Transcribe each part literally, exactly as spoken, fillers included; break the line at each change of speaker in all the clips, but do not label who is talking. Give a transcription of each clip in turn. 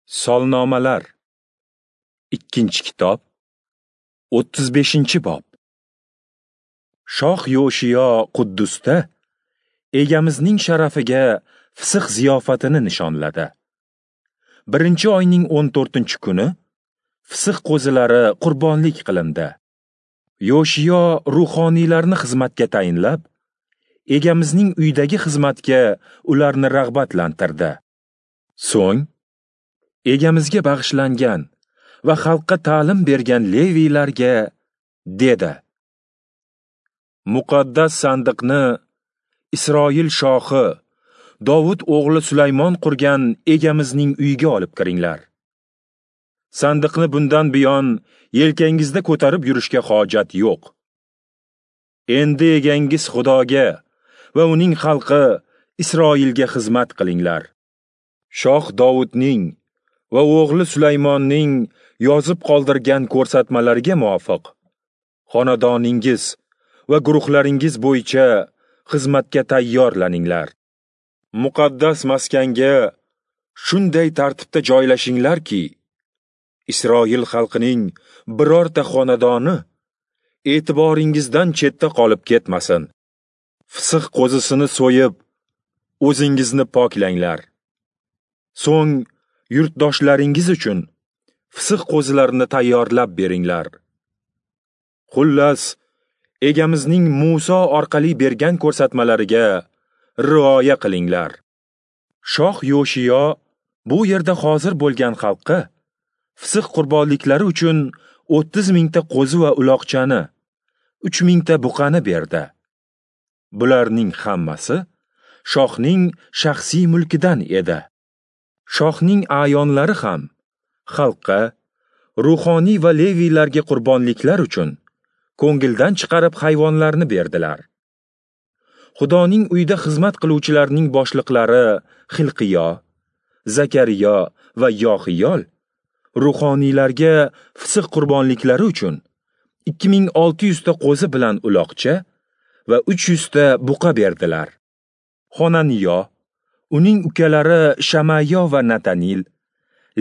Solnomalar, ikkinchi kitob, o'ttiz beshinchi bob. Shoh Yoshiyo Quddusda Egamizning sharafiga Fisix ziyofatini nishonladi. Birinchi oyning o'n to'rtinchi kuni Fisix qo'zilari qurbonlik qilindi. Yoshiyo ruhoniylarni xizmatga tayinlab, Egamizning uydagi xizmatga ularni rag'batlantirdi. So'ng Egamizga bag'ishlangan va xalqqa ta'lim bergan leviylarga dedi: Muqaddas sandiqni Isroil shohi Dovud o'g'li Sulaymon qurgan Egamizning uyiga olib kiringlar. Sandiqni bundan buyon yelkangizda ko'tarib yurishga hojat yo'q. Endi egangiz Xudoga va uning xalqi Isroilga xizmat qilinglar. Shoh Dovudning va o'g'li Sulaymonning yozib qoldirgan ko'rsatmalariga muvofiq xonadoningiz va guruhlaringiz bo'yicha xizmatga tayyorlaninglar. Muqaddas maskanga shunday tartibda joylashinglarki, Isroil xalqining birorta xonadoni e'tiboringizdan chetda qolib ketmasin. Fisix qo'zisini so'yib, o'zingizni poklanglar. So'ng yurtdoshlaringiz uchun fisix qo'zilarini tayyorlab beringlar. Xullas, Egamizning Musa orqali bergan ko'rsatmalariga rioya qilinglar. Shoh Yoshiyo bu yerda hozir bo'lgan xalqqa fisix qurbonliklari uchun o'ttiz mingta qo'zi va uloqchani, uch mingta buqani berdi. Bularning hammasi shohning shaxsiy mulkidan edi. Shohning a'yonlari ham xalqqa, ruhoniy va leviylarga qurbonliklar uchun ko'ngildan chiqarib hayvonlarni berdilar. Xudoning uyida xizmat qiluvchilarning boshliqlari Xilqiyo, Zakariyo va Yoxiyol ruhoniylarga fisix qurbonliklari uchun ikki ming olti yuzta qo'zi bilan uloqcha va uch yuzta buqa berdilar. Xonaniyo, uning ukalari Shamayo va Natanil,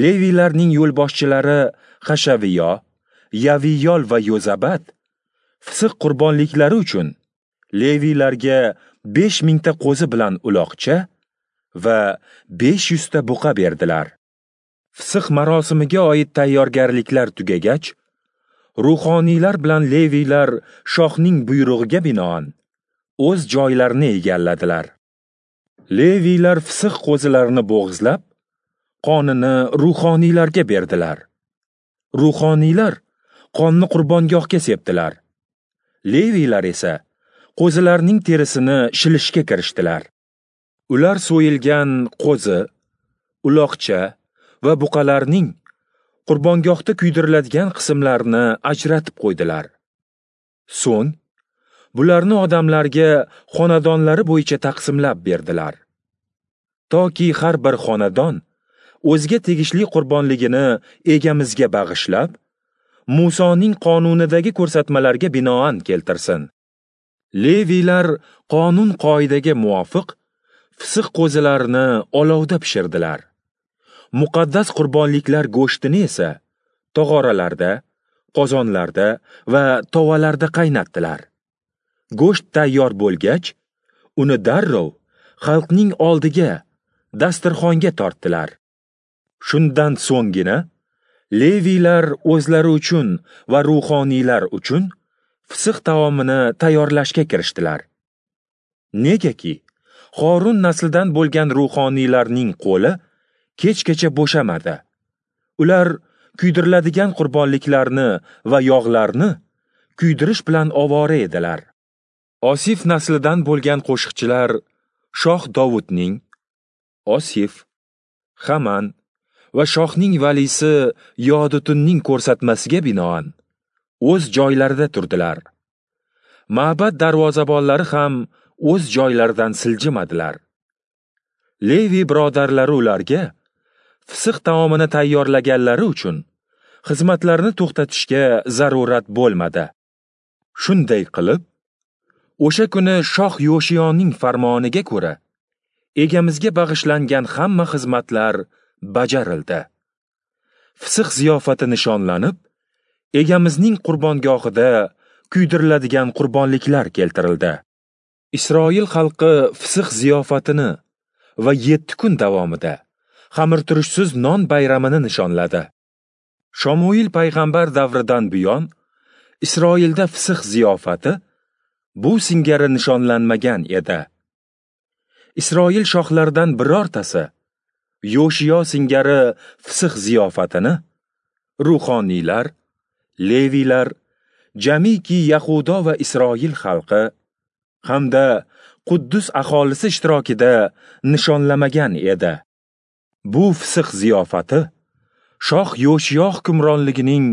leviylarning yo'lboshchilari Hashaviyo, Yaviyol va Yozabat fisix qurbonliklari uchun leviylarga besh mingta qo'zi bilan uloqcha va besh yuzta buqa berdilar. Fisix marosimiga oid tayyorgarliklar tugagach, ruhoniylar bilan leviylar shohning buyrug'iga binoan o'z joylarini egalladilar. Leviylar fisix qo'zilarini bo'g'izlab, qonini ruhoniylarga berdilar. Ruhoniylar qonni qurbongohga sepdilar. Leviylar esa qo'zilarning terisini shilishga kirishdilar. Ular so'yilgan qo'zi, uloqcha va buqalarning qurbongohda kuydiriladigan qismlarini ajratib qo'ydilar. So'ng bularni odamlarga xonadonlari bo'yicha taqsimlab berdilar. Toki har bir xonadon o'ziga tegishli qurbonligini Egamizga bag'ishlab, Musoning qonunidagi ko'rsatmalarga binoan keltirsin. Leviylar qonun qoidaga muvofiq fisix qo'zilarini olovda pishirdilar. Muqaddas qurbonliklar go'shtini esa tog'oralarda, qozonlarda va tovalarda qaynatdilar. Go'sht tayyor bo'lgach, uni darrov xalqning oldiga, dasturxonga tortdilar. Shundan so'nggina leviylar o'zlari uchun va ruhoniylar uchun fisix taomini tayyorlashga kirishdilar. Negaki, Horun naslidan bo'lgan ruhoniylarning qo'li kechgacha bo'shamadi. Ular kuydiriladigan qurbonliklarni va yog'larni kuydirish bilan ovora edilar. Osif naslidan bo'lgan qo'shiqchilar Shoh Dovudning, Osif, Haman va shohning valisi Yodutunning ko'rsatmasiga binoan o'z joylarida turdilar. Ma'bad darvozabonlari ham o'z joylaridan siljimadilar. Levi birodarlari ularga fisix taomini tayyorlaganlari uchun xizmatlarini to'xtatishga zarurat bo'lmadi. Shunday qilib, o'sha kuni Shoh Yoshiyoning farmoniga ko'ra Egamizga bag'ishlangan hamma xizmatlar bajarildi. Fisix ziyofati nishonlanib, Egamizning qurbongohida kuydiriladigan qurbonliklar keltirildi. Isroil xalqi Fisix ziyofatini va yetti kun davomida xamirturushsiz non bayramini nishonladi. Shamuil payg'ambar davridan buyon Isroilda Fisix ziyofati bu singari nishonlanmagan edi. Isroil shohlaridan birortasi Yoshiyo singari Fisix ziyofatini ruhoniylar, leviylar, jamiki Yahudo va Isroil xalqi hamda Quddus aholisi ishtirokida nishonlamagan edi. Bu Fisix ziyofati Shoh Yoshiyo hukmronligining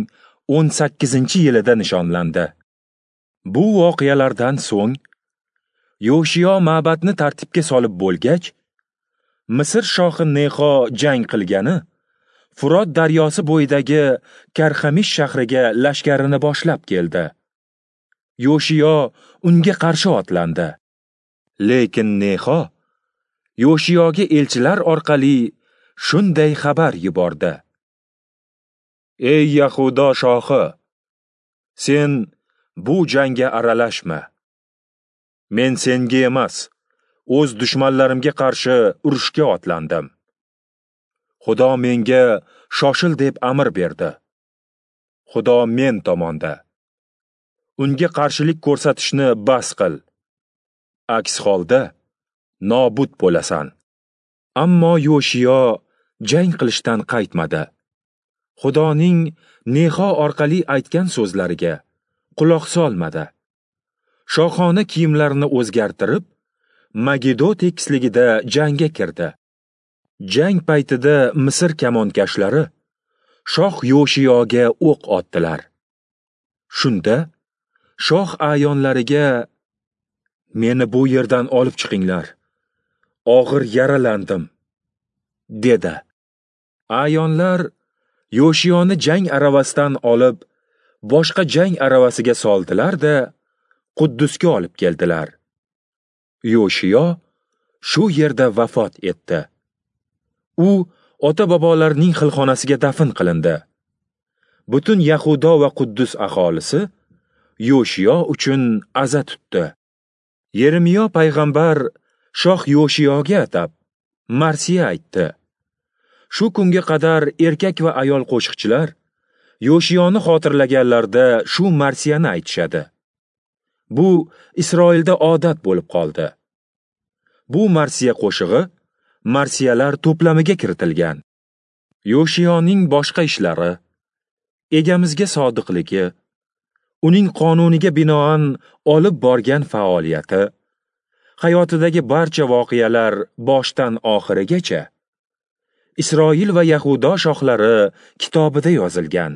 o'n sakkizinchi yilida nishonlandi. Bu voqealardan so'ng Yoshiyo ma'batni tartibga solib bo'lgach, Misr shohi Nexo jang qilgani Furot daryosi bo'yidagi Karxamish shahriga lashkarini boshlab keldi. Yoshiyo unga qarshi otlandi. Lekin Nexo Yoshiyoga elchilar orqali shunday xabar yubordi: Ey Yahudo shohi, sen bu jangga aralashma. Men senga emas, o'z dushmanlarimga qarshi urushga otlandim. Xudo menga shoshil deb amr berdi. Xudo men tomonda. Unga qarshilik ko'rsatishni bas qil. Aks holda nobud bo'lasan. Ammo Yoshiyo jang qilishdan qaytmadi. Xudoning Nexo orqali aytgan so'zlariga quloq solmadi. Shohona kiyimlarini o'zgartirib, Magido tekisligida jangga kirdi. Jang paytida Misr kamonkashlari shoh Yoshiyoga o'q otdilar. Shunda shoh a'yonlariga: "Meni bu yerdan olib chiqinglar. Og'ir yaralandim", dedi. A'yonlar Yoshiyoni jang aravasidan olib, boshqa jang aravasiga soldilar-da, Quddusga olib keldilar. Yoshiyo shu yerda vafot etdi. U ota-bobolarining xilxonasiga dafn qilindi. Butun Yahudo va Quddus aholisi Yoshiyo uchun aza tutdi. Yeremiyo payg'ambar shoh Yoshiyoga atab marsiya aytdi. Shu kunga qadar erkak va ayol qo'shiqchilar Yoshiyoni xotirlaganlarda shu marsiyani aytishadi. Bu Isroilda odat bo'lib qoldi. Bu marsiya qo'shig'i marsiyalar to'plamiga kiritilgan. Yoshiyoning boshqa ishlari, Egamizga sodiqligi, uning qonuniga binoan olib borgan faoliyati, hayotidagi barcha voqealar boshdan oxirigacha Isroil va Yahudo shohlari kitobida yozilgan.